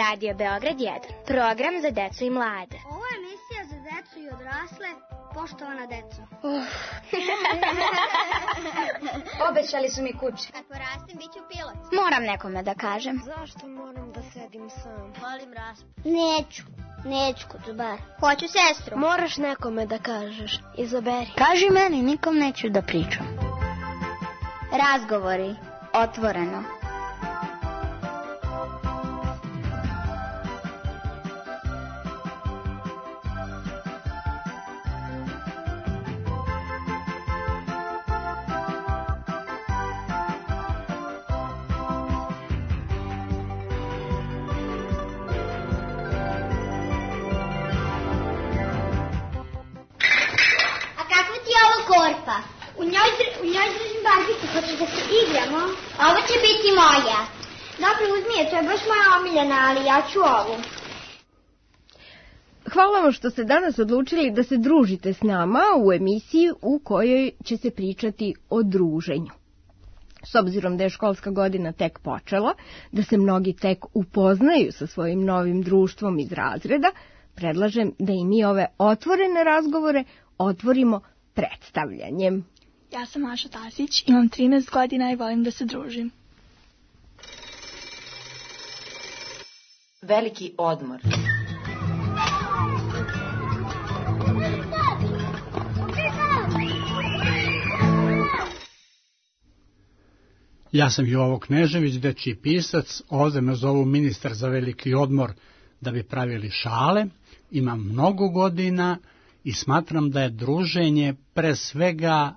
Radio Beograd 1, program za decu i mlade. Ovo je emisija za decu i odrasle, poštovana deco. Obećali su mi kuće. Kad porastem, bit ću pilot. Moram nekome da kažem. Zašto moram da sedim sam? Volim raspad. Neću kod bar. Hoću sestru. Moraš nekome da kažeš. Izaberi. Kaži meni, nikom neću da pričam. Razgovori, otvoreno. Korpa. U njoj držim barbicu, hoćeš da se igramo? Ovo će biti moja. Dobro, uzmi je, to je baš moja omiljena, ali ja ću ovu. Hvala vam što ste danas odlučili da se družite s nama u emisiji u kojoj će se pričati o druženju. S obzirom da je školska godina tek počela, da se mnogi tek upoznaju sa svojim novim društvom iz razreda, predlažem da i mi ove otvorene razgovore otvorimo predstavljanjem. Ja sam Maša Tasić, imam 13 godina i volim da se družim. Veliki odmor. Ja sam Jovo Knežević, dečiji pisac, ovde me zovu ministar za veliki odmor da bi pravili šale. Imam mnogo godina i smatram da je druženje pre svega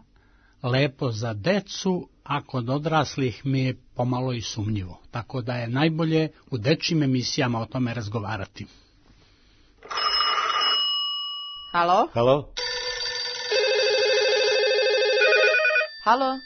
lepo za decu, a kod odraslih mi je pomalo i sumnjivo. Tako da je najbolje u dečjim emisijama o tome razgovarati. Halo? Halo? Halo?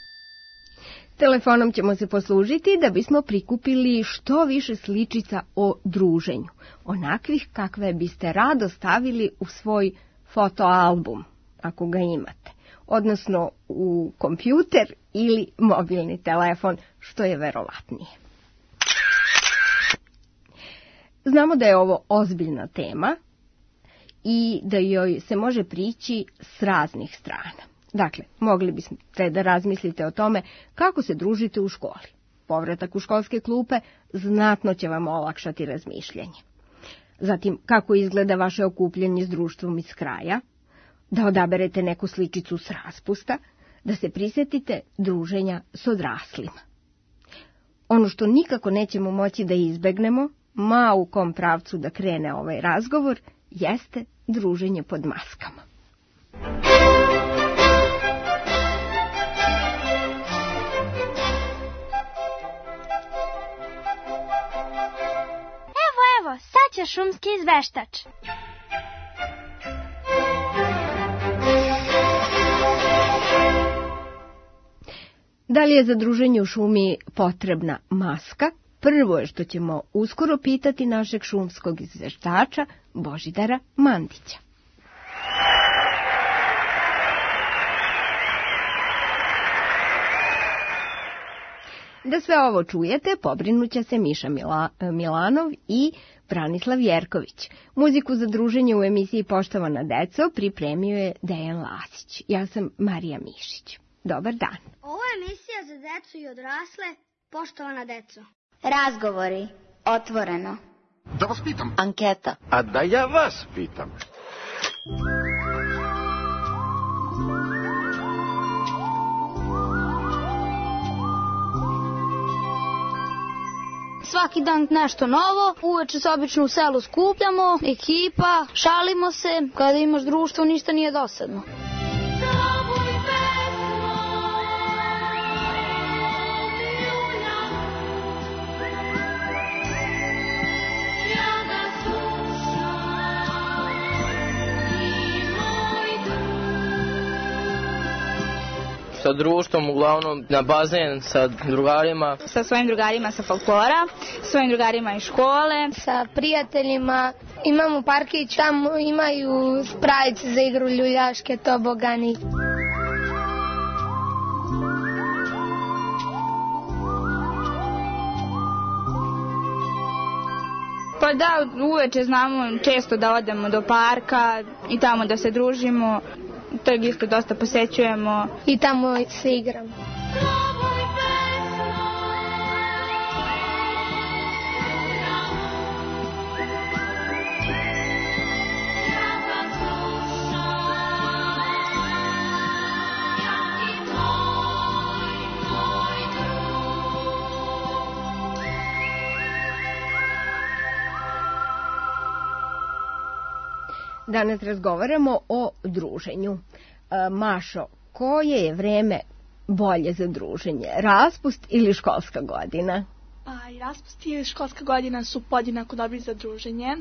Telefonom ćemo se poslužiti da bismo prikupili što više sličica o druženju, onakvih kakve biste rado stavili u svoj fotoalbum, ako ga imate, odnosno u kompjuter ili mobilni telefon, što je verovatnije. Znamo da je ovo ozbiljna tema i da joj se može prići s raznih strana. Dakle, mogli biste da razmislite o tome kako se družite u školi. Povratak u školske klupe znatno će vam olakšati razmišljanje. Zatim, kako izgleda vaše okupljanje s društvom iz kraja, da odaberete neku sličicu s raspusta, da se prisjetite druženja s odraslima. Ono što nikako nećemo moći da izbegnemo, ma u kom pravcu da krene ovaj razgovor, jeste druženje pod maskama. Evo, sad će šumski izveštač. Da li je za druženje u šumi potrebna maska? Prvo je što ćemo uskoro pitati našeg šumskog izveštača Božidara Mandića. Da sve ovo čujete, pobrinuće se Miša Milanov i Branislav Jerković. Muziku za druženje u emisiji Poštovana deco pripremio je Dejan Lasić. Ja sam Marija Mišić. Dobar dan. Ovo je emisija za decu i odrasle, poštovana deco. Razgovori, otvoreno. Da vas pitam. Anketa. A da ja vas pitam. Svaki dan nešto novo, uveče se obično u selu skupljamo, ekipa, šalimo se, kada imaš društvo ništa nije dosadno. Sa društvom, uglavnom na bazen, sa drugarima. Sa svojim drugarima sa folklora, svojim drugarima iz škole. Sa prijateljima, imamo parkić, tamo imaju spravice za igru ljuljaške, tobogani. Pa da, uveče znamo često da odemo do parka i tamo da se družimo. Trg isto dosta posećujemo. I tamo se igramo. Danas razgovaramo o druženju. Mašo, koje je vreme bolje za druženje? Raspust ili školska godina? Pa i raspust i školska godina su podjednako dobri za druženje,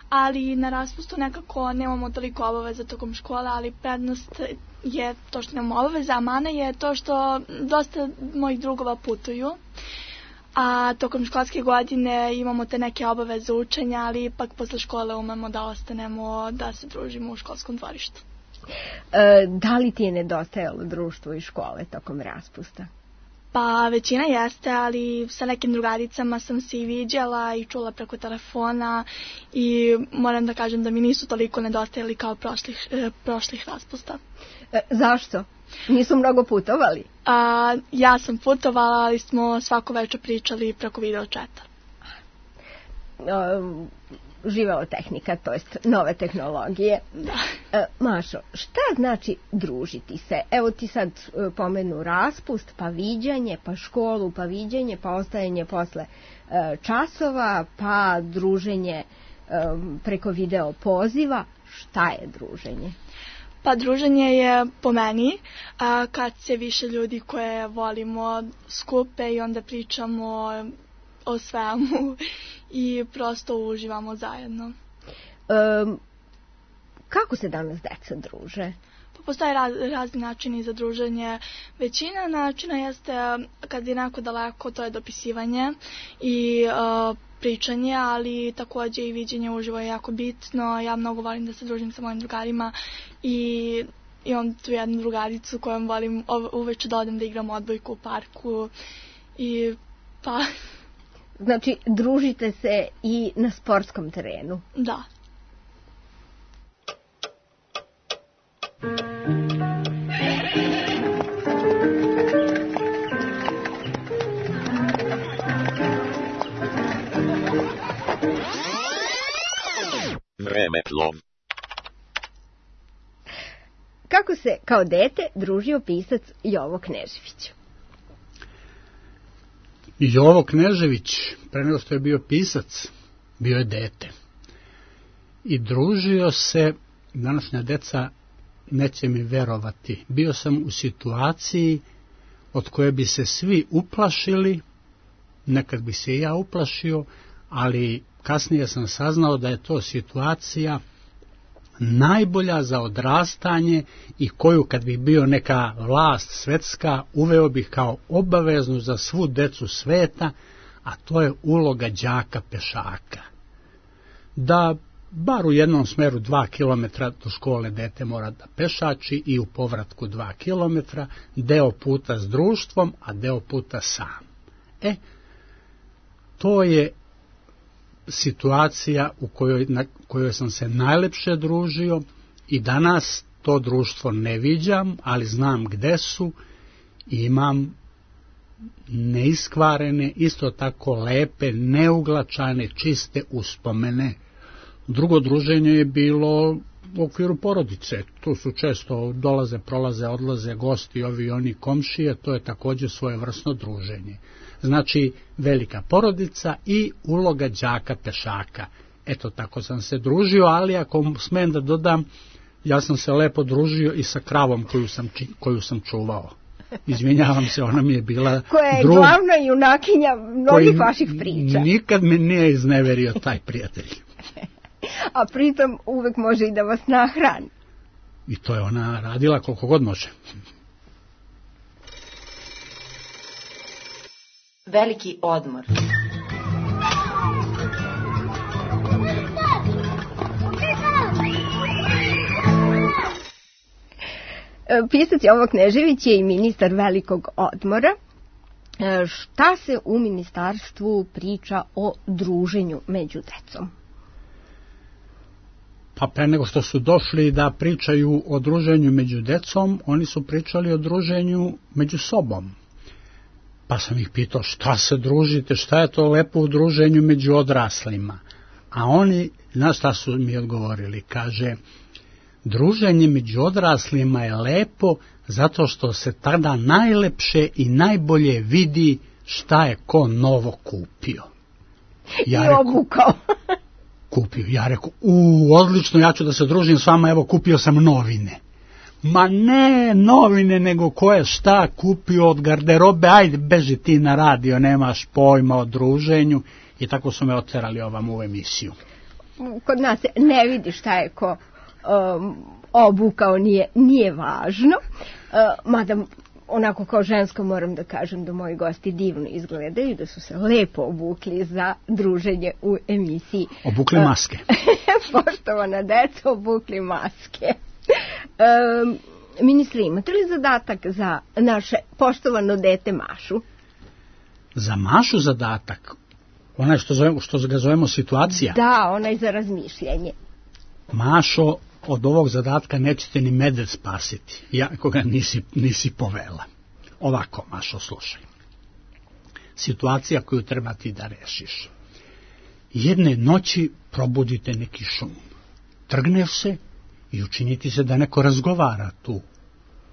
ali na raspustu nekako nemamo toliko obaveza tokom škole, ali prednost je to što nemamo obaveza, a mana je to što dosta mojih drugova putuju. A tokom školske godine imamo te neke obaveze učenja, ali ipak posle škole umemo da ostanemo, da se družimo u školskom dvorištu. Da li ti je nedostajalo društvo i škole tokom raspusta? Pa većina jeste, ali sa nekim drugaricama sam se i viđala i čula preko telefona i moram da kažem da mi nisu toliko nedostajali kao prošlih raspusta. Zašto? Nisu mnogo putovali? Ja sam putovala, ali smo svako večer pričali preko video četa. Živela tehnika, to jest nove tehnologije. Da. Mašo, šta znači družiti se? Evo ti sad pomenu raspust, pa viđanje, pa školu, pa viđanje, pa ostajanje posle časova, pa druženje preko video poziva. Šta je druženje? Pa druženje je po meni kad se više ljudi koje volimo skupe i onda pričamo o svemu i prosto uživamo zajedno. Kako se danas deca druže? Pa postoje razni načini za druženje. Većina načina jeste kad je neko daleko, to je dopisivanje i pričanje, ali takođe i viđenje uživo je jako bitno. Ja mnogo volim da se družim sa mojim drugarima i imam tu jednu drugaricu kojom volim uveče da odem da igram odbojku u parku i pa... Znači, družite se i na sportskom terenu? Da. Vremeplov. Kako se kao dete družio pisac Jovo Knežević? Jovo Knežević, pre nego što je bio pisac, bio je dete. I družio se, današnja deca neće mi verovati, bio sam u situaciji od koje bi se svi uplašili, nekad bi se i ja uplašio, ali kasnije sam saznao da je to situacija najbolja za odrastanje i koju kad bi bio neka vlast svetska uveo bih kao obaveznu za svu decu sveta, a to je uloga đaka pešaka. Da bar u jednom smeru 2 km do škole dete mora da pešači i u povratku 2 km, deo puta s društvom, a deo puta sam. To je situacija na kojoj sam se najlepše družio i danas to društvo ne viđam, ali znam gde su i imam neiskvarene, isto tako lepe, neuglačane, čiste uspomene. Drugo druženje je bilo u okviru porodice. Tu su često dolaze, prolaze, odlaze gosti, ovi i oni komšije, to je također svojevrsno druženje. Znači, velika porodica i uloga đaka pešaka. Eto, tako sam se družio, ali ako smem da dodam, ja sam se lepo družio i sa kravom koju sam čuvao. Izvinjavam se, ona mi je bila koja je glavna junakinja mnogih vaših priča. Nikad me nije izneverio taj prijatelj. A pritom uvek može i da vas nahrani. I to je ona radila koliko god može. Veliki odmor. Pisac Jovo Knežević je i ministar velikog odmora Šta se u ministarstvu priča o druženju među decom? Pa pre nego što su došli da pričaju o druženju među decom, oni su pričali o druženju među sobom. Pa sam ih pitao šta se družite, šta je to lepo u druženju među odraslima. A oni, znaš šta su mi odgovorili, kaže, druženje među odraslima je lepo zato što se tada najlepše i najbolje vidi šta je ko novo kupio. Ja I obukao. Kupio. Ja rekao, odlično, ja ću da se družim s vama, evo kupio sam novine. Ma ne novine, nego ko je šta kupio od garderobe, ajde beži ti na radio, nemaš pojma o druženju. I tako su me oterali ovam u emisiju. Kod nas ne vidi šta je ko obukao, nije važno. Mada onako kao žensko moram da kažem da moji gosti divno izgledaju, da su se lepo obukli za druženje u emisiji. Obukli maske. Poštovana deca, obukli maske. Ministri, imate li zadatak za naše poštovano dete Mašu? Za Mašu zadatak? Onaj što ga zovemo situacija? Da, onaj za razmišljanje. Mašo, od ovog zadatka nećete ni medved spasiti, iako ga nisi povela. Ovako, Mašo, slušaj. Situacija koju treba ti da rešiš. Jedne noći probudite neki šum. Trgneš se i učiniti se da neko razgovara tu.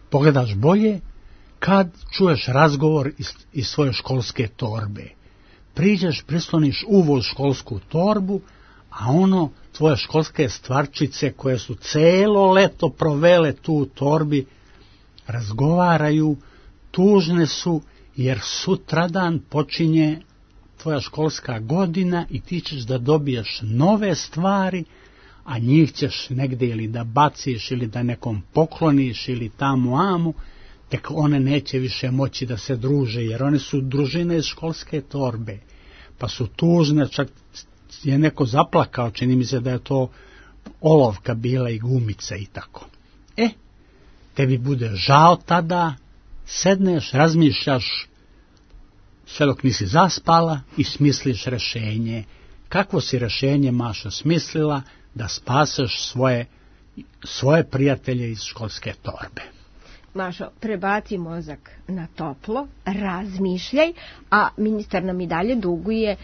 Pogledaš bolje kad čuješ razgovor iz svoje školske torbe. Priđeš, prisloniš uvoz školsku torbu, a tvoje školske stvarčice koje su celo leto provele tu u torbi, razgovaraju, tužne su, jer sutradan počinje tvoja školska godina i ti ćeš da dobiješ nove stvari, a njih ćeš negdje ili da baciš, ili da nekom pokloniš, ili tamo amu, tek one neće više moći da se druže, jer one su družine iz školske torbe, pa su tužne, čak je neko zaplakao, čini mi se da je to olovka bila i gumica i tako. Tebi bude žao tada, sedneš, razmišljaš, sve dok nisi zaspala i smisliš rešenje. Kakvo si rešenje, Mašo, smislila da spaseš svoje prijatelje iz školske torbe? Mašo, prebaci mozak na toplo, razmišljaj, a ministar nam i dalje duguje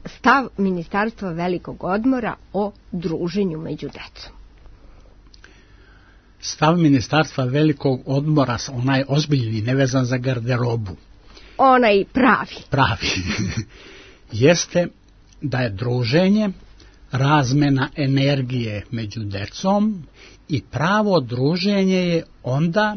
stav Ministarstva velikog odmora o druženju među decom. Stav Ministarstva velikog odmora, onaj ozbiljni, nevezan za garderobu. Onaj pravi. Jeste da je druženje razmena energije među decom i pravo druženje je onda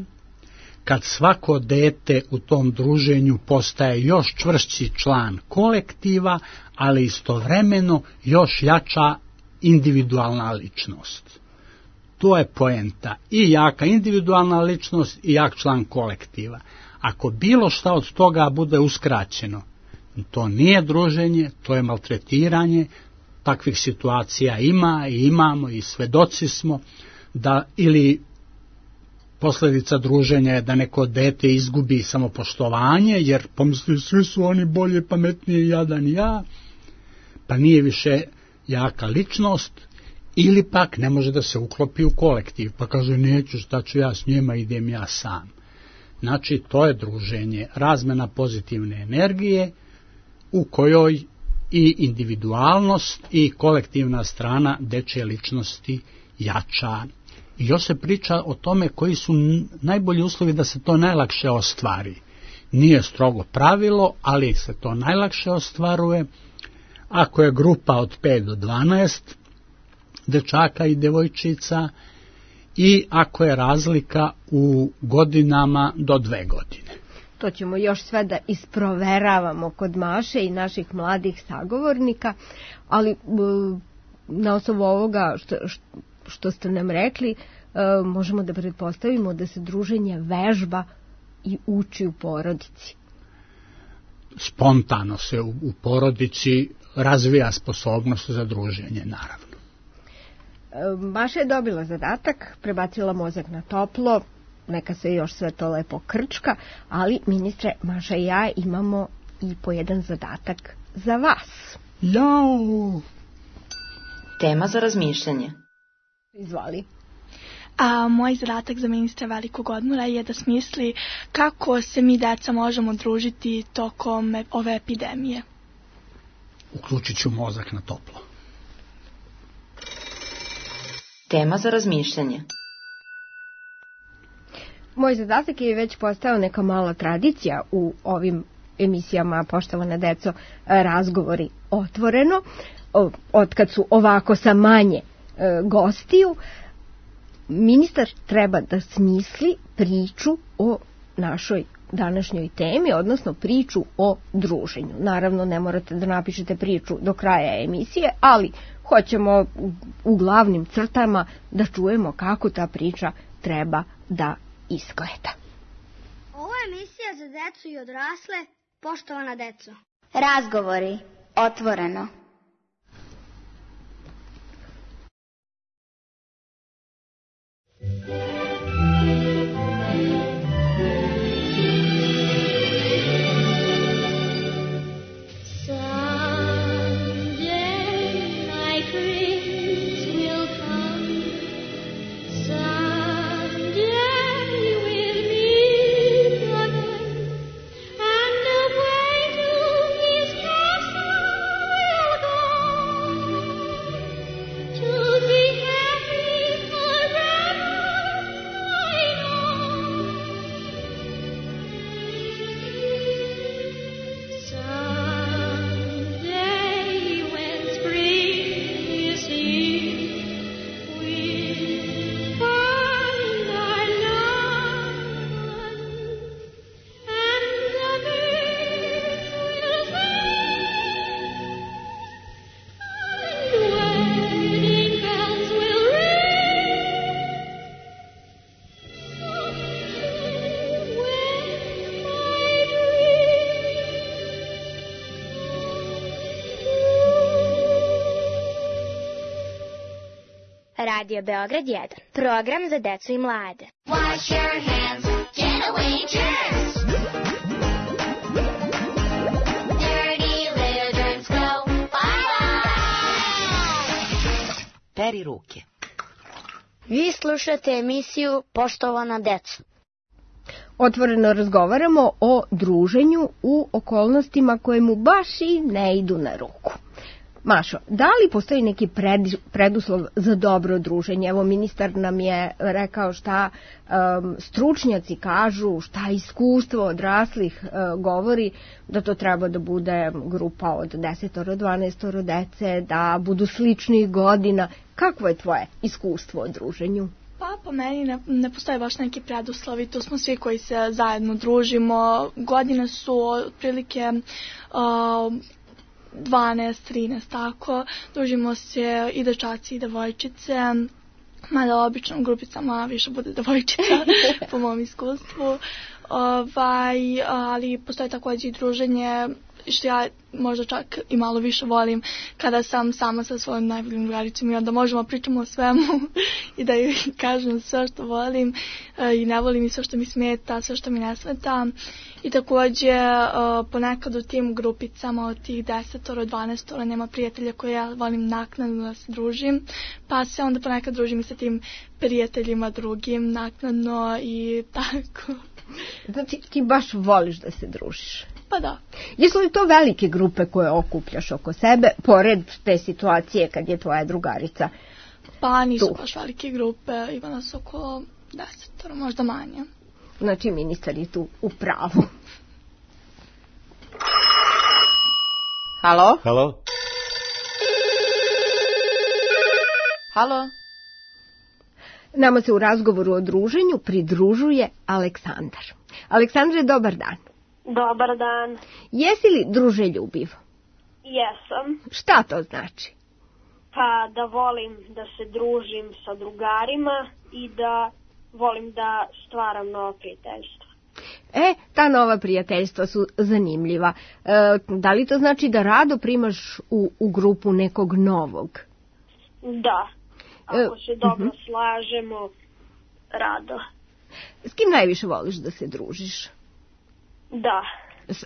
kad svako dete u tom druženju postaje još čvršći član kolektiva, ali istovremeno još jača individualna ličnost. To je poenta. I jaka individualna ličnost i jak član kolektiva. Ako bilo šta od toga bude uskraćeno, to nije druženje, to je maltretiranje. Takvih situacija ima i imamo i svedoci smo da ili posljedica druženja je da neko dete izgubi samopoštovanje, jer pomisli svi su oni bolje, pametnije, jadan ja, pa nije više jaka ličnost, ili pak ne može da se uklopi u kolektiv, pa kaže neću, šta ću ja s njima, idem ja sam. Znači, to je druženje, razmena pozitivne energije u kojoj i individualnost i kolektivna strana dečje ličnosti jača. I još se priča o tome koji su najbolji uslovi da se to najlakše ostvari. Nije strogo pravilo, ali se to najlakše ostvaruje ako je grupa od 5 do 12 dečaka i devojčica i ako je razlika u godinama do 2 godine. To ćemo još sve da isproveravamo kod Maše i naših mladih sagovornika, ali na osnovu ovoga što ste nam rekli, možemo da pretpostavimo da se druženje vežba i uči u porodici. Spontano se u porodici razvija sposobnost za druženje, naravno. Maša je dobila zadatak, prebacila mozak na toplo, neka se još sve to lepo krčka, ali ministre, Maša i ja imamo i po jedan zadatak za vas. Jao! Tema za razmišljanje. Izvoli. A moj zadatak za ministra velikog odmora je da smisli kako se mi deca možemo družiti tokom ove epidemije. Uključit ću mozak na toplo. Tema za razmišljanje. Moj zadatak je već postao neka mala tradicija u ovim emisijama, poštovana deco, razgovori otvoreno. Otkad su ovako sa manje gostiju, ministar treba da smisli priču o našoj današnjoj temi, odnosno priču o druženju. Naravno, ne morate da napišete priču do kraja emisije, ali hoćemo u glavnim crtama da čujemo kako ta priča treba da izgleda. Ovo je emisija za decu i odrasle, poštovana deco. Razgovori otvoreno. Radio Beograd 1. Program za decu i mlade. Wash your hands, get away germs. Dirty little germs go bye-bye. Peri ruke. Vi slušate emisiju Poštovana deca. Otvoreno razgovaramo o druženju u okolnostima koje mu baš i ne idu na ruku. Mašo, da li postoji neki preduslov za dobro druženje? Evo, ministar nam je rekao šta stručnjaci kažu, šta iskustvo odraslih govori, da to treba da bude grupa od 10-12 dece, da budu sličnih godina. Kakvo je tvoje iskustvo o druženju? Pa po meni ne postoje baš neki preduslovi, to smo svi koji se zajedno družimo. Godine su otprilike 12-13, tako. Družimo se i dečaci i devojčice, mada obično u grupicama više bude devojčica, po mom iskustvu. Ali postoje također i druženje, što ja možda čak i malo više volim, kada sam sama sa svojom najboljim drugaricom i onda možemo pričamo o svemu i da joj kažem sve što volim i ne volim i sve što mi smeta, sve što mi ne smeta. I također ponekad u tim grupicama od tih 10-12 nema prijatelja koje ja volim naknadno da se družim, pa se onda ponekad družim i sa tim prijateljima drugim naknadno i tako. Znači ti baš voliš da se družiš? Pa da. Jesu li to velike grupe koje okupljaš oko sebe, pored te situacije kad je tvoja drugarica? Pa nisu baš velike grupe, ima nas oko 10, možda manje. Znači ministar je tu u pravu. Halo? Halo? Halo? Nama se u razgovoru o druženju pridružuje Aleksandar. Aleksandre, dobar dan. Dobar dan. Jesi li druželjubiv? Jesam. Šta to znači? Pa da volim da se družim sa drugarima i da volim da stvaram nova prijateljstva. Ta nova prijateljstva su zanimljiva. Da li to znači da rado primaš u grupu nekog novog? Da. Ako se dobro slažemo, rado. S kim najviše voliš da se družiš? Da.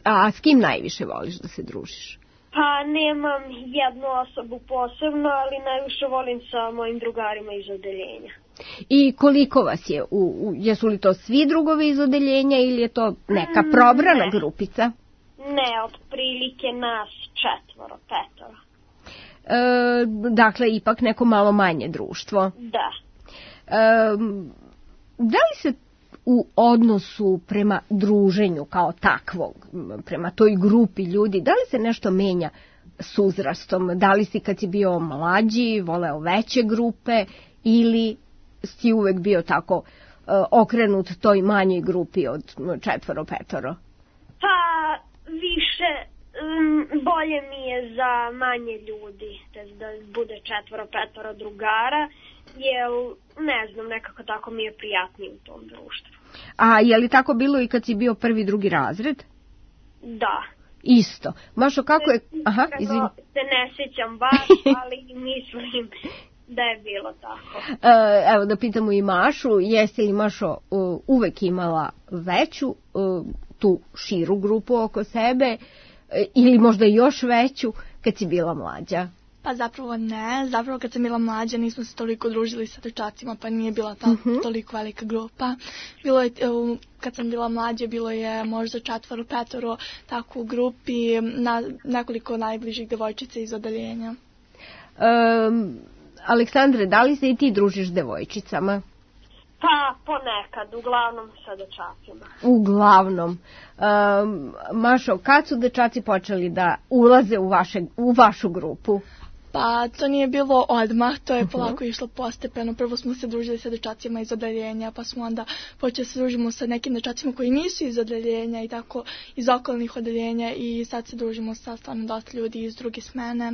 A s kim najviše voliš da se družiš? Pa nemam jednu osobu posebno, ali najviše volim sa mojim drugarima iz odeljenja. I koliko vas je? Jesu li to svi drugovi iz odeljenja ili je to neka probrana grupica? Ne, otprilike nas 4, 5. Dakle, ipak neko malo manje društvo. Da. Da li se u odnosu prema druženju kao takvog, prema toj grupi ljudi, da li se nešto menja s uzrastom? Da li si kad si bio mlađi voleo veće grupe ili si uvek bio tako okrenut toj manjoj grupi od 4, 5? Pa više, bolje mi je za manje ljudi, da bude 4, 5 drugara, jer ne znam, nekako tako mi je prijatnije u tom društvu. A je li tako bilo i kad si bio 1, 2 razred? Da. Isto. Mašo, kako je... Aha, izvini. Se ne sjećam baš, ali mislim da je bilo tako. Evo da pitamo i Mašu, jesi li Mašo uvek imala veću, tu širu grupu oko sebe ili možda još veću kad si bila mlađa? Pa zapravo ne, zapravo kad sam bila mlađa nismo se toliko družili sa dečacima, pa nije bila toliko velika grupa. Bilo je, kad sam bila mlađa, bilo je možda 4, 5 tako u grupi, nekoliko najbližih devojčica iz odeljenja. Aleksandre, da li se i ti družiš s devojčicama? Pa ponekad, uglavnom sa dečacima. Uglavnom. Mašo, kad su dečaci počeli da ulaze u vašu grupu? Pa to nije bilo odmah, to je polako išlo postepeno. Prvo smo se družili sa dečacima iz odeljenja, pa smo onda počeli se družimo sa nekim dečacima koji nisu iz odeljenja i tako iz okolnih odeljenja i sad se družimo sa stvarno dosta ljudi iz druge smene.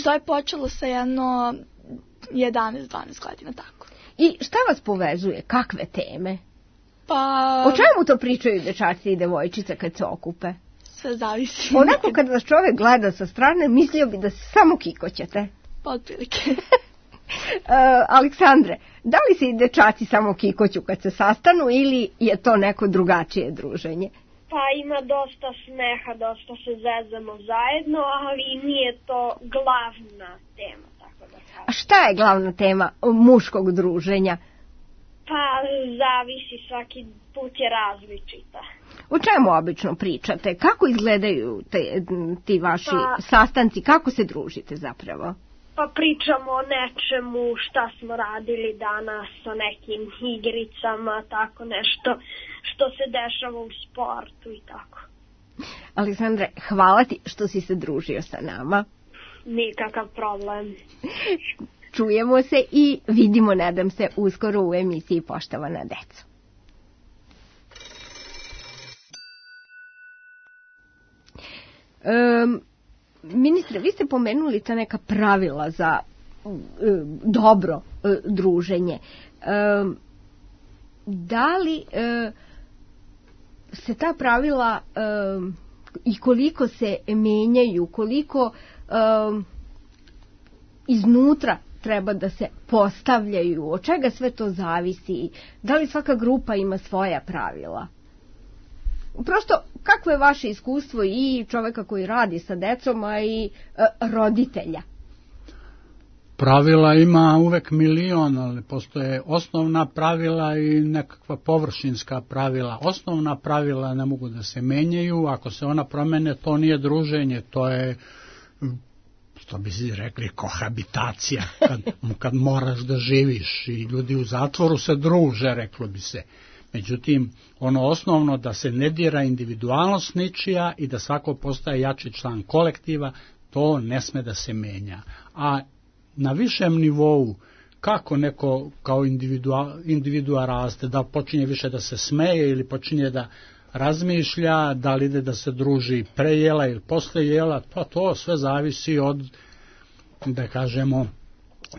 To je počelo sa jedno 11-12 godina, tako. I šta vas povezuje? Kakve teme? Pa... O čemu to pričaju dečaci i devojčice kad se okupe? Sve zavisi. Onako kad vas čovjek gleda sa strane, mislio bi da se samo kikoćete. Pa otprilike. Aleksandre, da li se i dečaci samo kikoću kad se sastanu ili je to neko drugačije druženje? Pa ima dosta smeha, dosta se zezamo zajedno, ali nije to glavna tema, tako da kažem. A šta je glavna tema muškog druženja? Pa zavisi, svaki put je različita. O čemu obično pričate? Kako izgledaju ti vaši sastanci? Kako se družite zapravo? Pa pričamo o nečemu, šta smo radili danas, o nekim igricama, tako nešto što se dešava u sportu i tako. Aleksandre, hvala ti što si se družio sa nama. Nikakav problem. Čujemo se i vidimo, nadam se, uskoro u emisiji Poštovana deco. Ministre, vi ste pomenuli ta neka pravila za dobro druženje. Da li se ta pravila i koliko se menjaju, koliko iznutra treba da se postavljaju, od čega sve to zavisi, da li svaka grupa ima svoja pravila? Prosto, kako je vaše iskustvo i čoveka koji radi sa decom, a i roditelja? Pravila ima uvek milion, ali postoje osnovna pravila i nekakva površinska pravila. Osnovna pravila ne mogu da se menjaju, ako se ona promene, to nije druženje, to je, što bi si rekli, kohabitacija, kad moraš da živiš i ljudi u zatvoru se druže, reklo bi se. Međutim, ono osnovno da se ne dira individualnost ničija i da svako postaje jači član kolektiva, to ne sme da se menja. A na višem nivou, kako neko kao individua raste, da počinje više da se smeje ili počinje da razmišlja, da li ide da se druži pre jela ili posle jela, pa to sve zavisi od, da kažemo,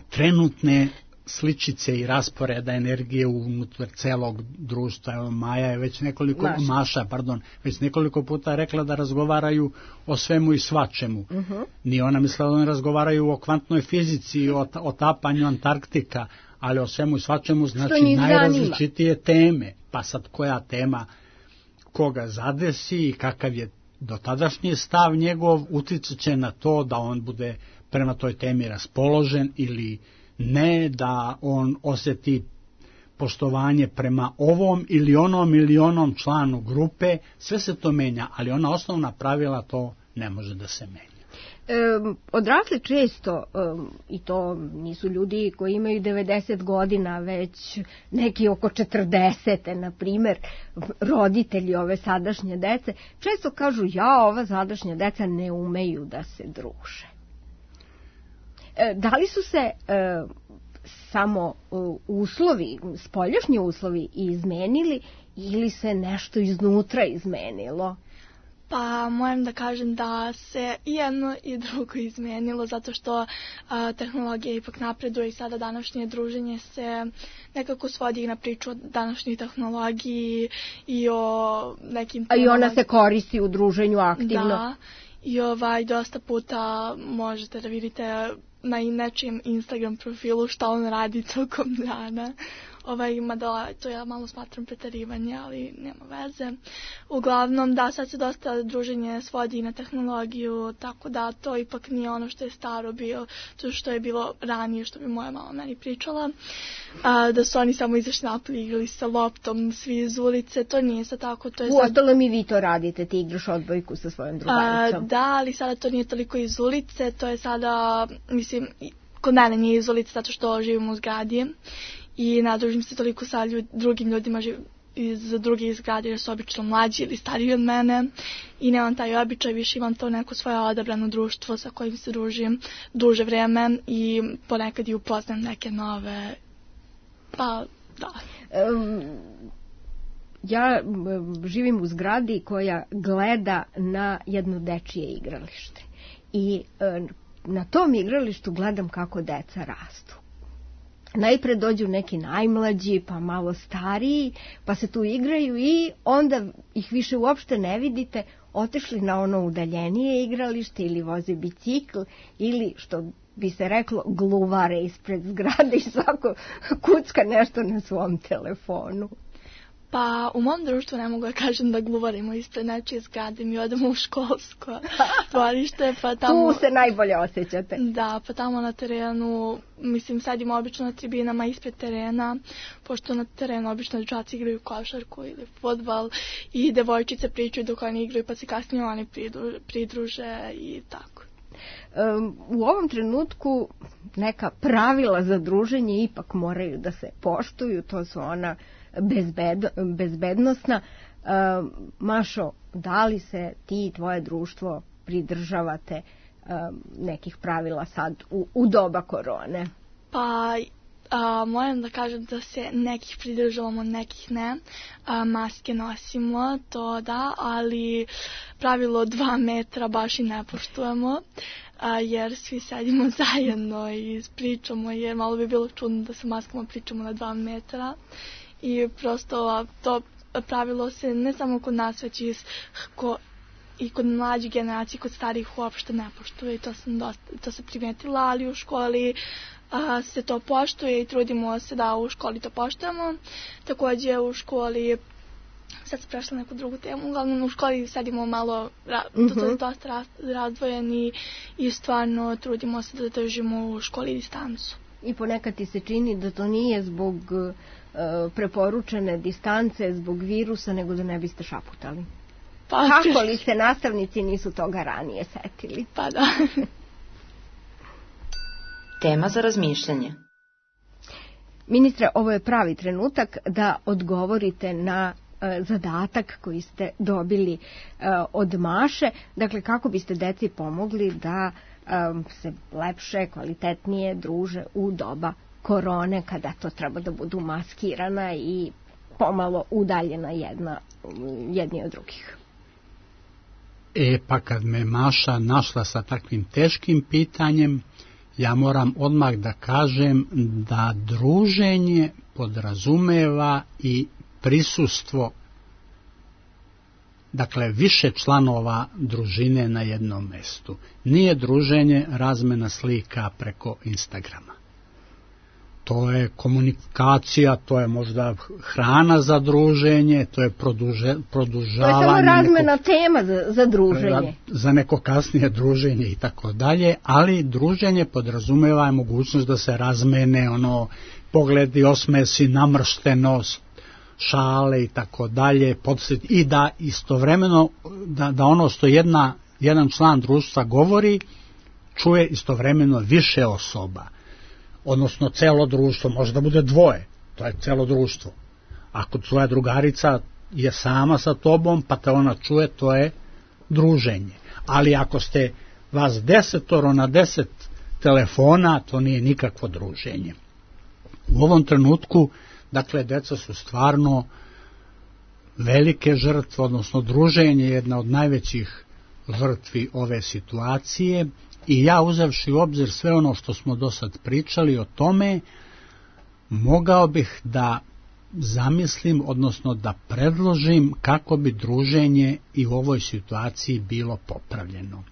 trenutne sličice i rasporeda energije unutar celog društva. Evo, Maja je već već nekoliko puta rekla da razgovaraju o svemu i svačemu. Nije ona mislila da oni razgovaraju o kvantnoj fizici, o tapanju Antarktika, ali o svemu i svačemu, znači njih najrazličitije teme. Pa sad koja tema koga zadesi i kakav je dotadašnji stav njegov, uticat će na to da on bude prema toj temi raspoložen ili ne, da on osjeti poštovanje prema ovom ili onom članu grupe. Sve se to menja, ali ona osnovna pravila to ne može da se menja. Odrasli često, i to nisu ljudi koji imaju 90 godina, već neki oko 40, na primjer, roditelji ove sadašnje dece, često kažu, ova sadašnja deca ne umeju da se druže. Da li su se samo uslovi, spoljašnji uslovi izmenili ili se nešto iznutra izmenilo? Pa moram da kažem da se i jedno i drugo izmenilo, zato što tehnologija ipak napreduje i sada današnje druženje se nekako svodi na priču o današnjoj tehnologiji i o nekim temama. A i ona se koristi u druženju aktivno. Da, i dosta puta možete da vidite na nečijem Instagram profilu šta on radi tokom dana. Mada to ja malo smatram preterivanje, ali nema veze. Uglavnom, da, sad se dosta druženje svodi na tehnologiju, tako da to ipak nije ono što je staro bilo, to što je bilo ranije, što bi moja mama meni pričala. Da su oni samo izašli napolje, igrali sa loptom, svi iz ulice, to nije sad tako. Uostalom i vi to radite, ti igraš odbojku sa svojom drugaricom. Da, ali sada to nije toliko iz ulice, to je sada, mislim, kod mene nije iz ulice, zato što živimo u zgradi. I nadružim se toliko sa drugim ljudima iz drugih zgrade, jer su obično mlađi ili stariji od mene i nemam taj običaj, više imam to neko svoje odabrano društvo sa kojim se družim duže vreme i ponekad i upoznam neke nove, pa da. Ja živim u zgradi koja gleda na jedno dečije igralište i na tom igralištu gledam kako deca rastu. Najpre dođu neki najmlađi, pa malo stariji, pa se tu igraju i onda ih više uopšte ne vidite, otišli na ono udaljenije igralište ili voze bicikl ili, što bi se reklo, gluvare ispred zgrade i svako kucka nešto na svom telefonu. Pa u mom društvu ne mogu da kažem da gluvarimo ispred nečije zgrade, mi odemo u školsko dvorište, pa tamo... Tu se najbolje osjećate. Da, pa tamo na terenu, mislim, sedimo obično na tribinama ispred terena, pošto na terenu obično dečaci igraju košarku ili fudbal i devojčice pričaju dok oni igraju, pa se kasnije oni pridruže i tako. U ovom trenutku neka pravila za druženje ipak moraju da se poštuju, to su ona bezbednosna. Mašo, da li se ti i tvoje društvo pridržavate nekih pravila sad u doba korone? Pa moram da kažem da se nekih pridržavamo, nekih ne. Maske nosimo, to da, ali pravilo 2 metra baš i ne poštujemo, jer svi sedimo zajedno i pričamo, jer malo bi bilo čudno da sa maskama pričamo na 2 metra. I prosto to pravilo se ne samo kod nas, već i kod mlađih generacija, kod starijih uopšte ne poštuje i to se primetila, ali u školi se to poštuje i trudimo se da u školi to poštujemo. Također u školi, sad se prešla neku drugu temu, uglavnom u školi sedimo malo dosta razdvojeni i stvarno trudimo se da držimo u školi distancu. I ponekad ti se čini da to nije zbog preporučene distance, zbog virusa, nego da ne biste šaputali. Pa, kako li se nastavnici nisu toga ranije setili? Pa da. Tema za razmišljanje. Ministre, ovo je pravi trenutak da odgovorite na zadatak koji ste dobili od Maše. Dakle, kako biste deci pomogli da se lepše, kvalitetnije druže u doba korone, kada to treba da budu maskirana i pomalo udaljena jedni od drugih. Pa kad me Maša našla sa takvim teškim pitanjem, ja moram odmah da kažem da druženje podrazumeva i prisustvo, dakle više članova družine na jednom mestu. Nije druženje razmena slika preko Instagrama. to je komunikacija, to je možda hrana za druženje, to je produžavanje. To je samo razmena tema za druženje. Za neko kasnije druženje i tako dalje, ali druženje podrazumeva mogućnost da se razmene pogledi, osmesi, namrštenost, šale i tako dalje, i da istovremeno, da ono što jedan član društva govori, čuje istovremeno više osoba. Odnosno celo društvo, može da bude dvoje, to je celo društvo. Ako tvoja drugarica je sama sa tobom, pa te ona čuje, to je druženje. Ali ako ste vas 10 na 10 telefona, to nije nikakvo druženje. U ovom trenutku, dakle, deca su stvarno velike žrtve, odnosno druženje je jedna od najvećih žrtvi ove situacije. I ja, uzevši u obzir sve ono što smo do sad pričali o tome, mogao bih da zamislim, odnosno da predložim kako bi druženje i u ovoj situaciji bilo popravljeno.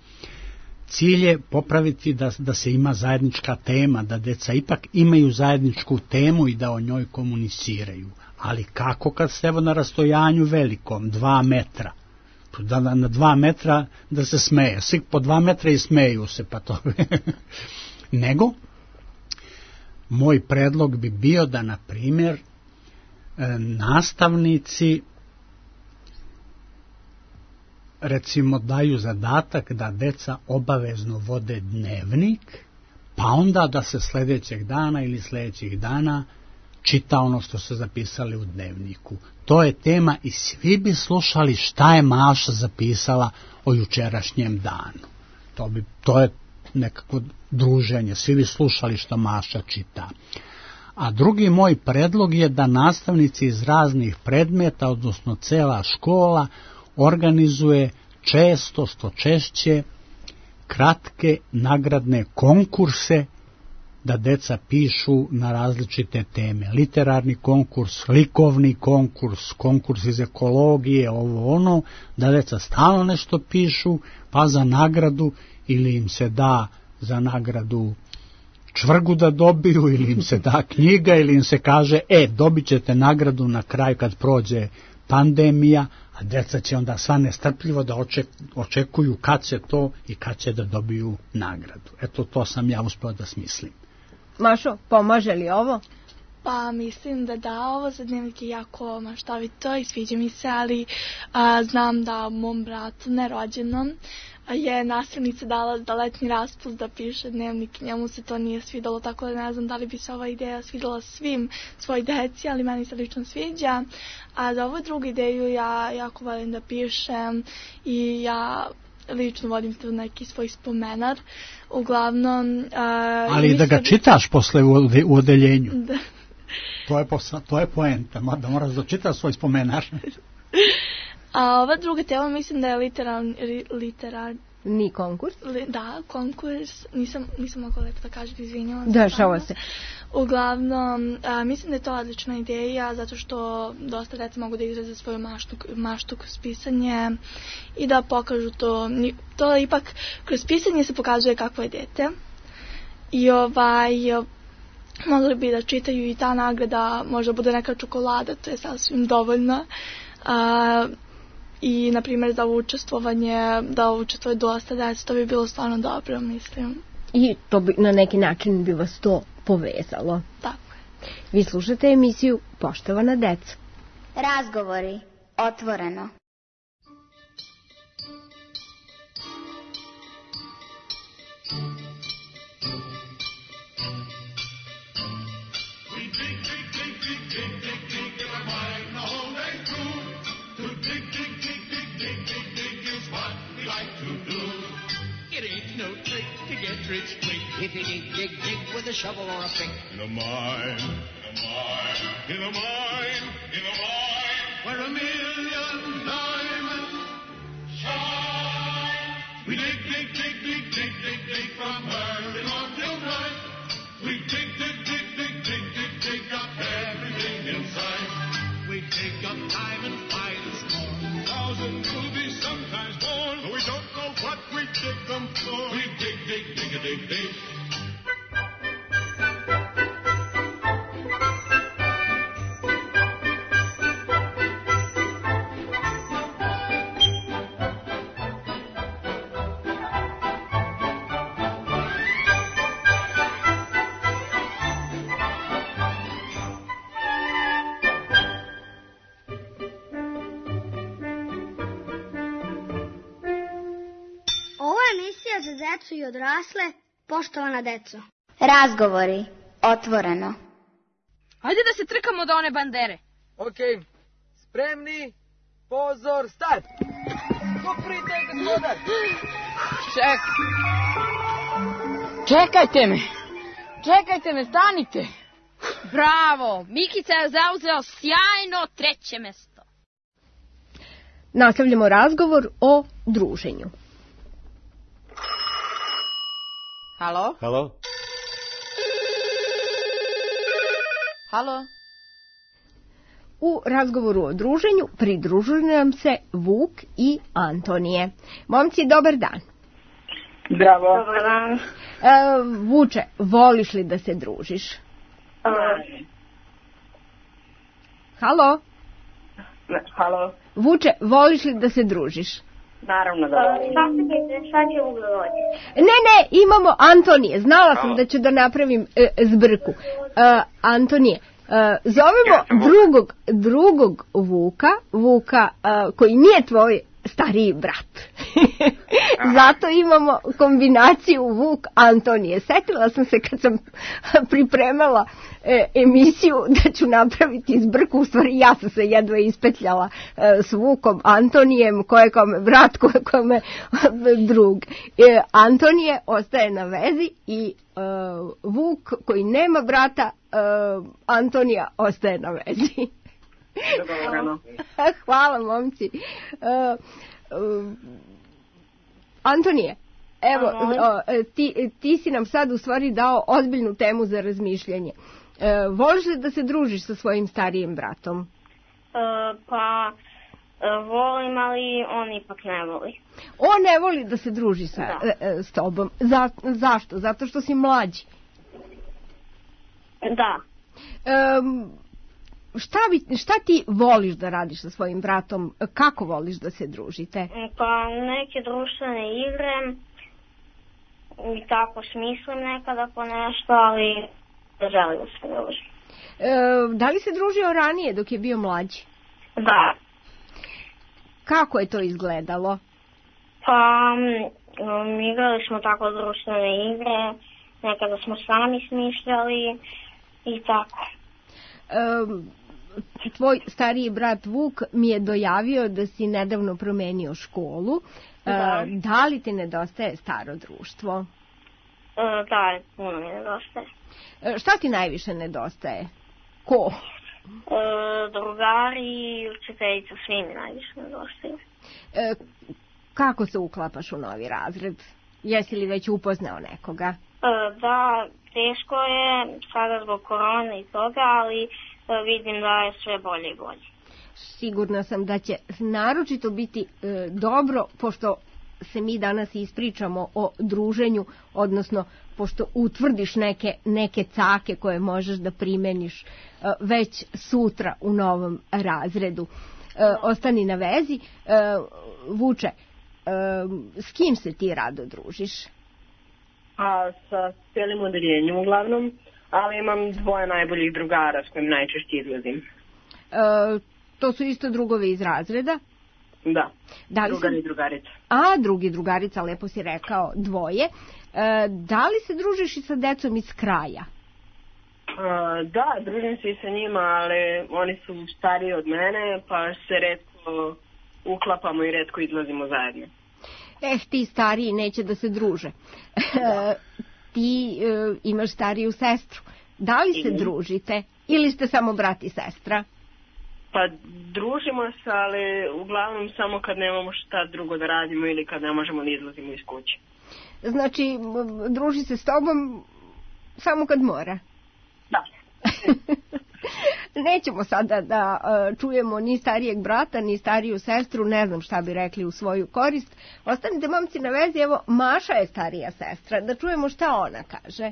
Cilj je popraviti da se ima zajednička tema, da deca ipak imaju zajedničku temu i da o njoj komuniciraju. Ali kako kad ste na rastojanju velikom, 2 metra? Na 2 metra da se smeje, svi po 2 metra i smeju se, pa to nego moj predlog bi bio da, na primjer, nastavnici recimo daju zadatak da deca obavezno vode dnevnik, pa onda da se sljedećeg dana ili sljedećih dana čita ono što su zapisali u dnevniku. To je tema i svi bi slušali šta je Maša zapisala o jučerašnjem danu. To je nekako druženje, svi bi slušali što Maša čita. A drugi moj predlog je da nastavnici iz raznih predmeta, odnosno cela škola, organizuje često, što češće, kratke nagradne konkurse, da deca pišu na različite teme. Literarni konkurs, likovni konkurs, konkurs iz ekologije, ono, da deca stalno nešto pišu, pa za nagradu ili im se da za nagradu čvrgu da dobiju, ili im se da knjiga, ili im se kaže, dobit ćete nagradu na kraju kad prođe pandemija, a deca će onda sva nestrpljivo da očekuju kad će to i kad će da dobiju nagradu. Eto, to sam ja uspeo da smislim. Mašo, pomaže li ovo? Pa mislim da ovo za dnevnik je jako maštovito i sviđa mi se, ali znam da mom bratu nerođenom je nastavnica dala da letnji raspust da piše dnevnik, njemu se to nije svidalo, tako da ne znam da li bi se ova ideja svidjela svim svoj deci, ali meni se lično sviđa. A za ovu drugu ideju ja jako volim da pišem i ja lično vodim tu neki svoj spomenar. Uglavnom... ali da ga čitaš posle u odeljenju. Da. To je poenta, da moraš da čitaš svoj spomenar. A ova druga tema mislim da je literarni konkurs. Da, konkurs. Nisam mogla lepo da kažem, izvinjavam se. Dešava se. Uglavnom, mislim da je to odlična ideja, zato što dosta deca mogu da izraze svoju maštu kroz pisanje i da pokažu to. To ipak, kroz pisanje se pokazuje kakvo je dete. I mogli bi da čitaju i ta nagrada, možda bude neka čokolada, to je sasvim dovoljno. I, na primjer, za učestvovanje, da učestvuje dosta djeca, to bi bilo stvarno dobro, mislim. I to bi, na neki način bi vas to povezalo. Tako je. Vi slušate emisiju Poštovana deca. Razgovori, otvoreno. If you dig with a shovel or a pick. In a mine, where 1,000,000 diamonds shine. We dig from early morn till night. We dig up everything inside. We dig up diamond finds more. 1,000 rubies, sometimes more. But we don't know what we dig them for. We dig. decu i odrasle, poštovana deco. Razgovori, otvoreno. Ajde da se trkamo do one bandere. Okej, spremni, pozor, start! Poprite, gospodar! Čekajte me, stanite! Bravo, Mikica je zauzeo sjajno 3. mesto. Nastavljamo razgovor o druženju. Halo? Halo? Halo? U razgovoru o druženju pridružuju nam se Vuk i Antonije. Momci, dobar dan. Zdravo. Dobar dan. Vuče, voliš li da se družiš? Halo? Halo. Vuče, voliš li da se družiš? Naravno da volim. Šta će ugovoriti? Ne, imamo Antonije. Znala sam da ću da napravim zbrku. Antonije, zovemo drugog Vuka koji nije tvoj stariji brat. Zato imamo kombinaciju Vuk Antonije. Setila sam se kad sam pripremala emisiju da ću napraviti zbrku, u stvari ja sam se jedva ispetljala s Vukom Antonijem, koje kome brat, koje kome drug. Antonije ostaje na vezi i Vuk koji nema brata, Antonija ostaje na vezi. Hvala, momci. Antonije, evo, ti si nam sad u stvari dao ozbiljnu temu za razmišljanje. Voliš li da se družiš sa svojim starijim bratom? Pa, volim, ali on ipak ne voli. On ne voli da se druži s tobom. Zašto? Zato što si mlađi. Da. Šta ti voliš da radiš sa svojim bratom? Kako voliš da se družite? Pa neke društvene igre i tako smislim nekada po nešto, ali ne želim da se družim. Da li se družio ranije dok je bio mlađi? Da. Kako je to izgledalo? Pa igrali smo tako društvene igre, nekada smo sami smišljali i tako. Tvoj stariji brat Vuk mi je dojavio da si nedavno promenio školu. Da li ti nedostaje staro društvo? Da, puno mi nedostaje. Šta ti najviše nedostaje? Ko? Drugari i učiteljica, svi mi najviše nedostaju. Kako se uklapaš u novi razred? Jesi li već upoznao nekoga? Da, teško je sada zbog korone i toga, ali vidim da je sve bolje i bolje. Sigurna sam da će naročito biti dobro, pošto se mi danas ispričamo o druženju, odnosno pošto utvrdiš neke cake koje možeš da primeniš već sutra u novom razredu. Ostani na vezi. Vuče, s kim se ti rado družiš? Sa cijelim odeljenjem uglavnom, ali imam 2 najboljih drugara s kojim najčešće izlazim. To su isto drugovi iz razreda? Da, drugar i drugarica. Drugi drugarica, lepo si rekao, 2. Da li se družiš i sa decom iz kraja? Da, družim se i sa njima, ali oni su stariji od mene, pa se retko uklapamo i retko izlazimo zajedno. Ti stariji neće da se druže. Ti imaš stariju sestru. Da li se družite ili ste samo brat i sestra? Pa družimo se, ali uglavnom samo kad nemamo šta drugo da radimo ili kad ne možemo da izlazimo iz kuće. Znači, druži se s tobom samo kad mora? Da. Nećemo sada da čujemo ni starijeg brata, ni stariju sestru, ne znam šta bi rekli u svoju korist. Ostanite, momci, na vezi, evo, Maša je starija sestra, da čujemo šta ona kaže.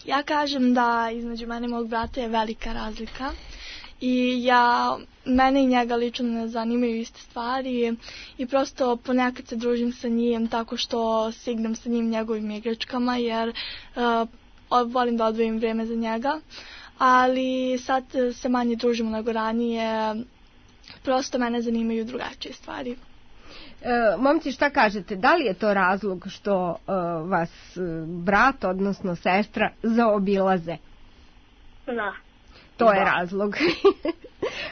Ja kažem da između mene i mog brata je velika razlika i mene i njega lično ne zanimaju iste stvari i prosto ponekad se družim sa njim tako što se igram sa njim njegovim igračkama jer volim da odvojim vrijeme za njega. Ali sad se manje družimo nego ranije, prosto mene zanimaju drugačije stvari. Momci, šta kažete? Da li je to razlog što vas brat, odnosno sestra, zaobilaze? Da. To je razlog.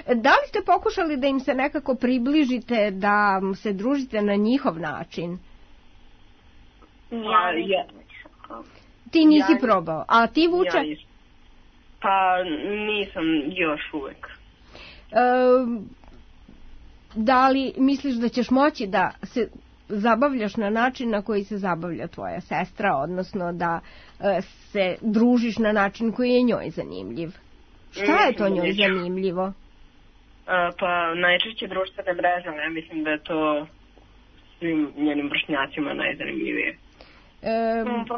Da li ste pokušali da im se nekako približite, da se družite na njihov način? Ti nisi probao, a ti, Vuče? Pa nisam još uvek. Da li misliš da ćeš moći da se zabavljaš na način na koji se zabavlja tvoja sestra, odnosno da se družiš na način koji je njoj zanimljiv? Šta je to njoj zanimljivo? Pa najčešće društvene mreže, ja mislim da je to svim njenim vršnjacima najzanimljivije.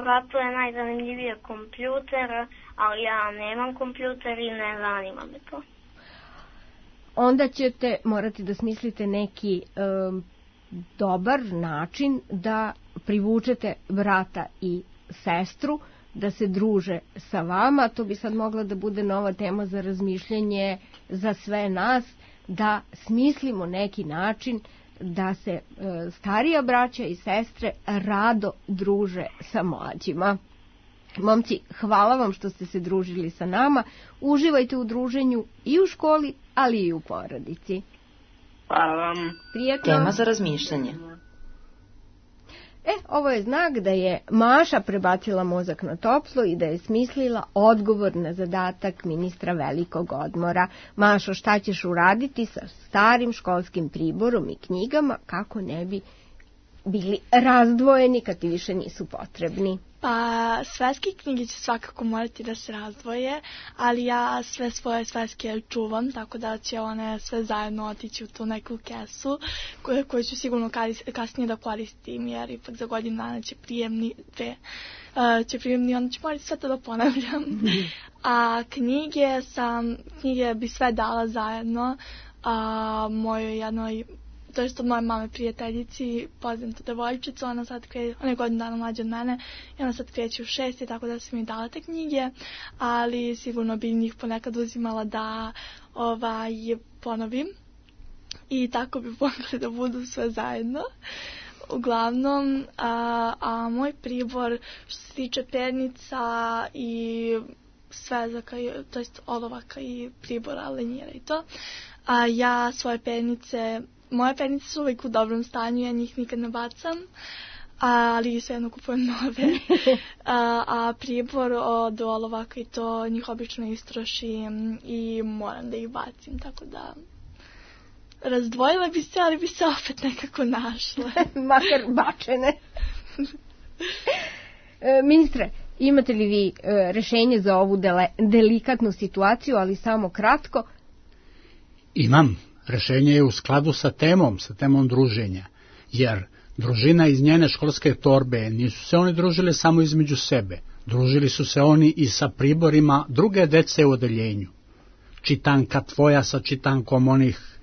Bratu je najzanimljivije kompjuter, ali ja nemam kompjuter i ne zanima me to. Onda ćete morati da smislite neki dobar način da privučete brata i sestru, da se druže sa vama. To bi sad mogla da bude nova tema za razmišljanje za sve nas, da smislimo neki način da se starija braća i sestre rado druže sa mlađima. Momci, hvala vam što ste se družili sa nama. Uživajte u druženju i u školi, ali i u porodici. Hvala vam. Prijetno. Tema za razmišljanje. Ovo je znak da je Maša prebacila mozak na toplo i da je smislila odgovor na zadatak ministra velikog odmora. Mašo, šta ćeš uraditi sa starim školskim priborom i knjigama kako ne bi bili razdvojeni kad ti više nisu potrebni? Pa svetske knjige će svakako morati da se razdvoje, ali ja sve svoje svetske čuvam, tako da će one sve zajedno otići u tu neku kesu koju ću sigurno kasnije da koristim, jer ipak za godinu dana će prijemni, onda ću morati sve to da ponavljam. A knjige bi sve dala zajedno mojoj jednoj, to je od moje mame prijateljici, poznata devojčica, ona je godinu dana mlađa od mene i ona sad kreće u 6. tako da sam mi dala te knjige, ali sigurno bi njih ponekad uzimala da ponovim i tako bi mogli da budu sve zajedno. Uglavnom, a moj pribor što se tiče pernica i svezaka, to jest olovaka i pribora, lenjira i to, a ja svoje pernice, moje pernice su uvijek u dobrom stanju, ja njih nikad ne bacam, ali svejedno kupujem nove. A pribor od olovaka i to njih obično istrošim i moram da ih bacim, tako da razdvojila bi se, ali bi se opet nekako našla. Makar bačene. Ministre, imate li vi rešenje za ovu delikatnu situaciju, ali samo kratko? Imam. Rešenje je u skladu sa temom druženja, jer družina iz njene školske torbe nisu se oni družili samo između sebe, družili su se oni i sa priborima druge dece u odeljenju. Čitanka tvoja sa čitankom onih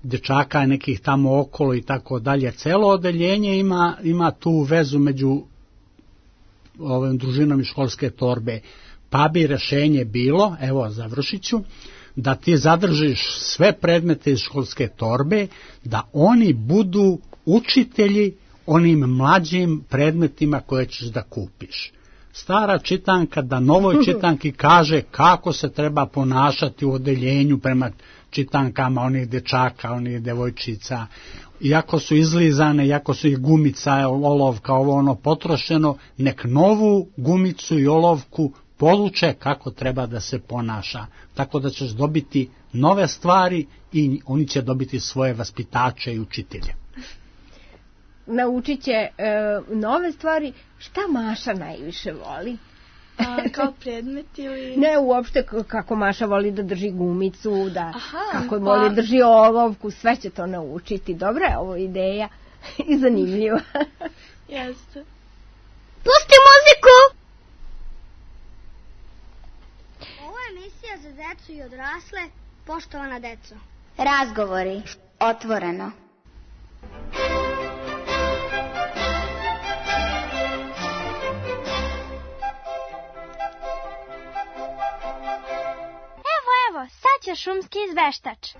dečaka nekih tamo okolo i tako dalje. Celo odeljenje ima tu vezu među ovim družinom iz školske torbe. Pa bi rešenje bilo, evo završit ću, da ti zadržiš sve predmete iz školske torbe, da oni budu učitelji onim mlađim predmetima koje ćeš da kupiš. Stara čitanka da novoj čitanki kaže kako se treba ponašati u odeljenju prema čitankama onih dečaka, onih devojčica. Iako su izlizane, iako su ih gumica, olovka, ovo ono potrošeno, nek novu gumicu i olovku poduče kako treba da se ponaša. Tako da ćeš dobiti nove stvari i oni će dobiti svoje vaspitače i učitelje. Naučit će nove stvari. Šta Maša najviše voli? Kao predmet ili... Ne, uopšte kako Maša voli da drži gumicu, kako voli da drži olovku, sve će to naučiti. Dobra je ovo ideja i zanimljiva. Jeste. Pusti muziku! Ovo je emisija za decu i odrasle, poštovana deco. Razgovori, otvoreno. Evo, sad će šumski izveštač.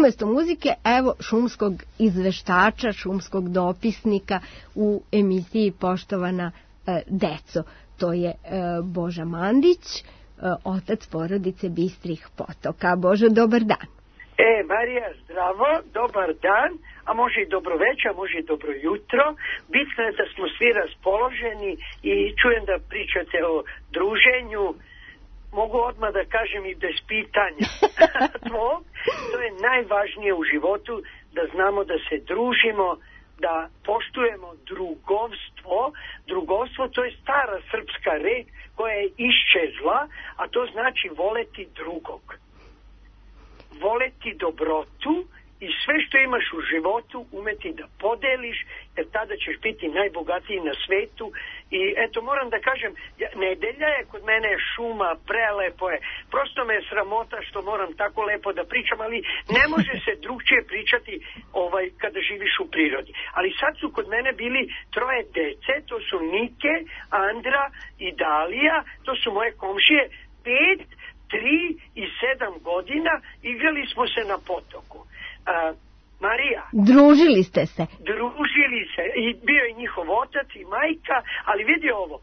umesto muzike, evo šumskog izveštača, šumskog dopisnika u emisiji Poštovana deco. To je Boža Mandić, otac porodice Bistrih Potoka. Božo, dobar dan. Marija, zdravo, dobar dan, a može i dobro večer, može i dobro jutro. Bitno je da smo svi raspoloženi i čujem da pričate o druženju. Mogu odmah da kažem i bez pitanja. To je najvažnije u životu, da znamo da se družimo, da poštujemo drugovstvo. Drugovstvo, to je stara srpska reč koja je iščezla, a to znači voleti drugog. Voleti dobrotu i sve što imaš u životu umeti da podeliš, jer tada ćeš biti najbogatiji na svetu. I eto, moram da kažem, nedelja je kod mene šuma, prelepo je. Prosto me je sramota što moram tako lepo da pričam, ali ne može se drugčije pričati kada živiš u prirodi. Ali sad su kod mene bili 3 dece, to su Nike, Andra i Dalija, to su moje komšije, 5, 3 i 7 godina, igrali smo se na potoku. Marija. Družili ste se. Družili se. I bio je njihov otac i majka, ali vidi ovo,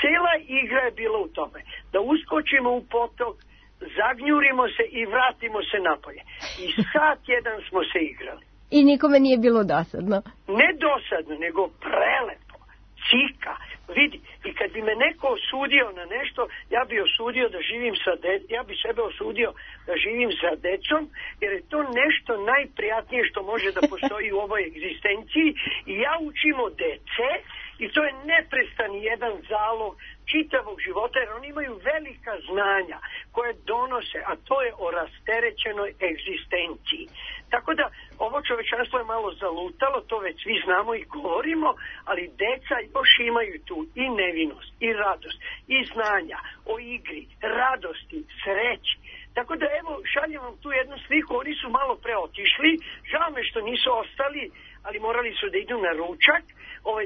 cela igra je bila u tome. Da uskočimo u potok, zagnjurimo se i vratimo se napolje. I sat jedan smo se igrali. I nikome nije bilo dosadno? Ne dosadno, nego prelepo. Cika. Vidi, i kad bi me neko osudio na nešto, ja bi osudio da živim ja bi sebe osudio da živim sa decom, jer je to nešto najprijatnije što može da postoji u ovoj egzistenciji. I ja učim od dece, i to je neprestani jedan zalog čitavog života, jer oni imaju velika znanja koje donose, a to je o rasterećenoj egzistenciji. Tako da ovo čovečanstvo je malo zalutalo, to već svi znamo i govorimo, ali deca još imaju tu i nevinost, i radost, i znanja o igri, radosti, sreći. Tako da evo, šaljem vam tu jednu sliku, oni su malo pre otišli, žao me što nisu ostali, ali morali su da idu na ručak,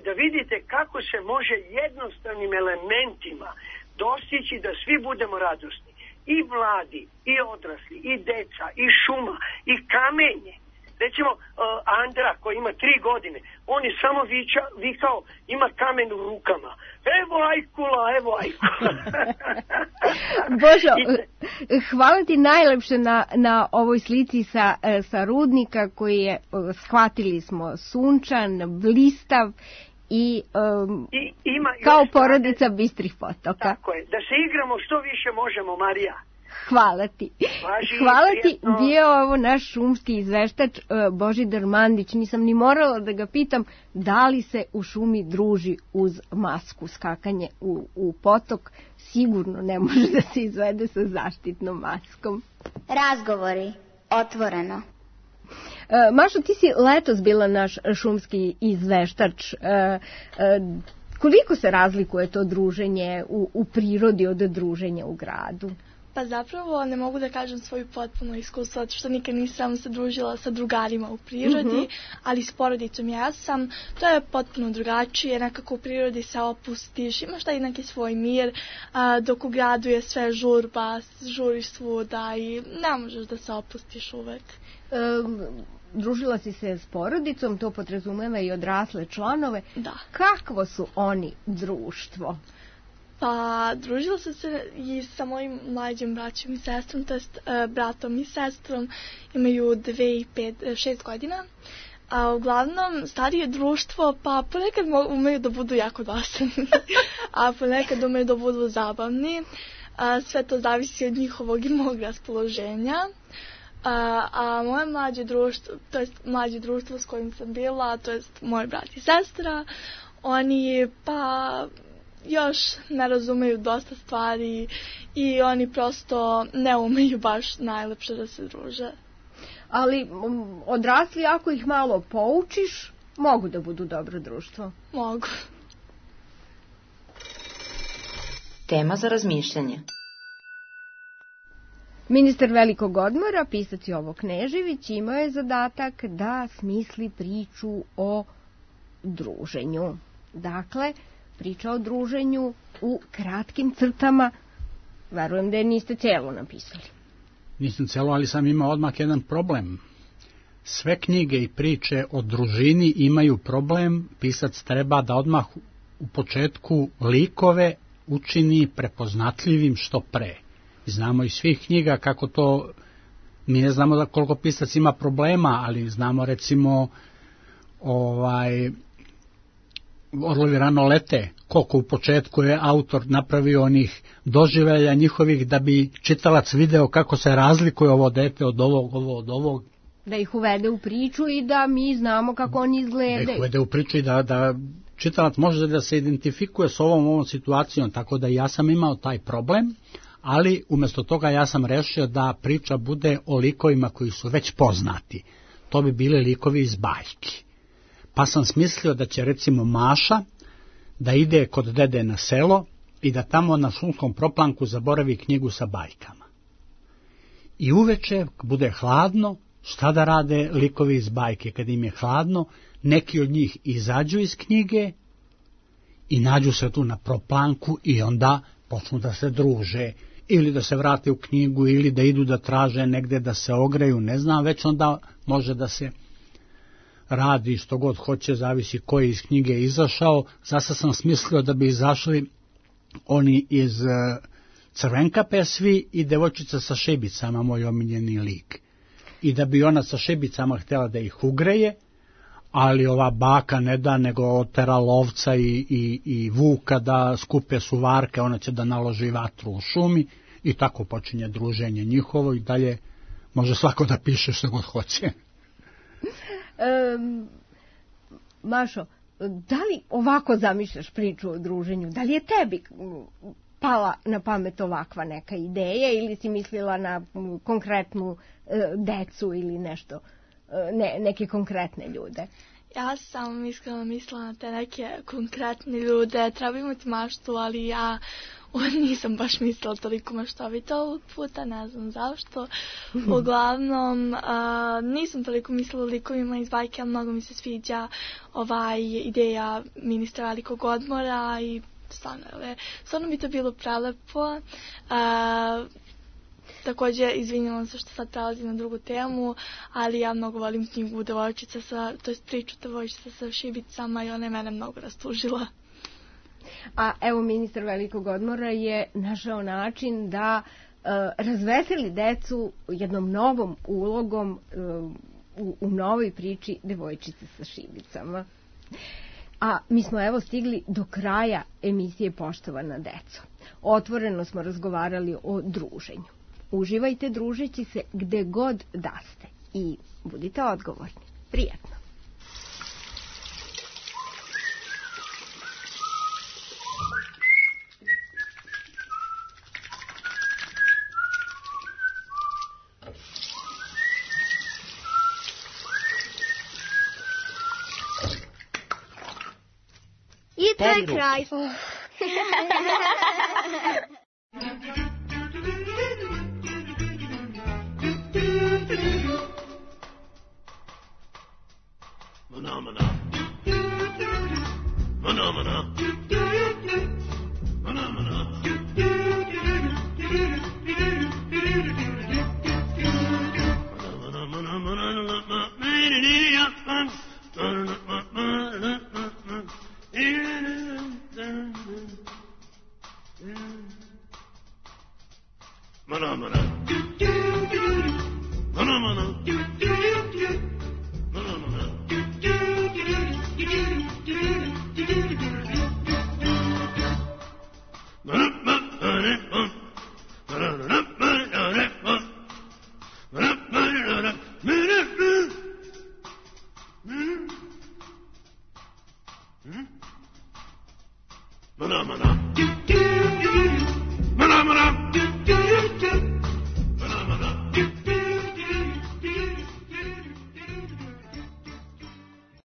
da vidite kako se može jednostavnim elementima dostići da svi budemo radosni. I mladi, i odrasli, i deca, i šuma, i kamenje. Recimo, Andra koji ima 3 godine, on je samo vikao, ima kamen u rukama. Evo ajkula, evo ajkula. Božo, hvala ti najlepše na ovoj slici sa rudnika koji je, shvatili smo, sunčan, blistav i kao porodica Bistrih Potoka. Tako je, da se igramo što više možemo, Marija. Hvala ti. Hvala ti, bio ovo naš šumski izveštač Božidar Mandić. Nisam ni morala da ga pitam da li se u šumi druži uz masku. Skakanje u potok sigurno ne može da se izvede sa zaštitnom maskom. Razgovori, otvoreno. Mašo, ti si letos bila naš šumski izveštač. Koliko se razlikuje to druženje u prirodi od druženja u gradu? Pa zapravo ne mogu da kažem svoju potpuno iskustvo, zato što nikad nisam se družila sa drugarima u prirodi, ali s porodicom ja sam. To je potpuno drugačije, nekako u prirodi se opustiš, imaš taj neki svoj mir, dok u gradu je sve žurba, žuriš svuda i ne možeš da se opustiš uvek. Družila si se s porodicom, to podrazumeva i odrasle članove. Da. Kakvo su oni društvo? Pa, družila sam se i sa mojim mlađim braćom i sestrom, to jest bratom i sestrom, imaju 2 i 6 godina. A uglavnom, starije društvo, pa ponekad umeju da budu jako dosadni, a ponekad umeju da budu zabavni. Sve to zavisi od njihovog i mog raspoloženja. A moje mlađe društvo, to jest mlađe društvo s kojim sam bila, to jest moj brat i sestra, oni pa još ne razumeju dosta stvari i oni prosto ne umeju baš najlepše da se druže. Ali odrasli, ako ih malo poučiš, mogu da budu dobro društvo. Mogu. Tema za razmišljanje. Ministar Velikog odmora, pisac Jovo Knežević, imao je zadatak da smisli priču o druženju. Dakle, priča o druženju u kratkim crtama. Verujem da je niste celo napisali. Nisam celo, ali sam imao odmah jedan problem. sve knjige i priče o družini imaju problem, pisac treba da odmah u početku likove učini prepoznatljivim što pre. Znamo iz svih knjiga kako to, mi ne znamo da koliko pisac ima problema, ali znamo recimo Orlovi rano lete, koliko u početku je autor napravio onih doživljaja njihovih da bi čitalac video kako se razlikuje ovo dete od ovog, ovo od ovog. Da ih uvede u priču i da mi znamo kako oni izgledaju. Da ih uvede u priču i da čitalac može da se identifikuje s ovom situacijom, tako da ja sam imao taj problem, ali umjesto toga ja sam rešio da priča bude o likovima koji su već poznati. To bi bili likovi iz bajki. Pa sam smislio da će recimo Maša da ide kod dede na selo i da tamo na šumskom proplanku zaboravi knjigu sa bajkama. I uveče bude hladno, šta da rade likovi iz bajke? Kad im je hladno, neki od njih izađu iz knjige i nađu se tu na proplanku i onda počnu da se druže, ili da se vrate u knjigu, ili da idu da traže negde da se ogreju, ne znam, već onda može da se radi što god hoće, zavisi ko je iz knjige izašao. Zasa sam smislio da bi izašli oni iz Crvenkape svi i devojčica sa šibicama, moj omiljeni lik. I da bi ona sa šibicama htjela da ih ugreje, ali ova baka ne da, nego otera lovca i vuka da skupe suvarke, ona će da naloži vatru u šumi i tako počinje druženje njihovo i dalje može svako da piše što god hoće. Mašo, da li ovako zamišljaš priču o druženju? Da li je tebi pala na pamet ovakva neka ideja ili si mislila na konkretnu decu ili nešto, neke konkretne ljude? Ja sam iskreno mislila na te neke konkretne ljude, treba imati maštu, ali ja nisam baš mislila toliko maštovito ovog puta, ne znam zašto. Uglavnom, nisam toliko mislila o likovima iz bajke, ali mnogo mi se sviđa ideja ministra velikog odmora i stvarno bi to bilo prelepo. Također, izvinjavam se što sad prelazim na drugu temu, ali ja mnogo volim knjigu Devojčica to je priču Devojčica sa šibicama i ona je mene mnogo rastužila. A evo, ministar velikog odmora je našao način da razveseli decu jednom novom ulogom u novoj priči Devojčice sa šibicama. A mi smo evo stigli do kraja emisije Poštovana deco. Otvoreno smo razgovarali o druženju. Uživajte družeći se gde god da ste i budite odgovorni. Prijatno. I to je kraj. Mana.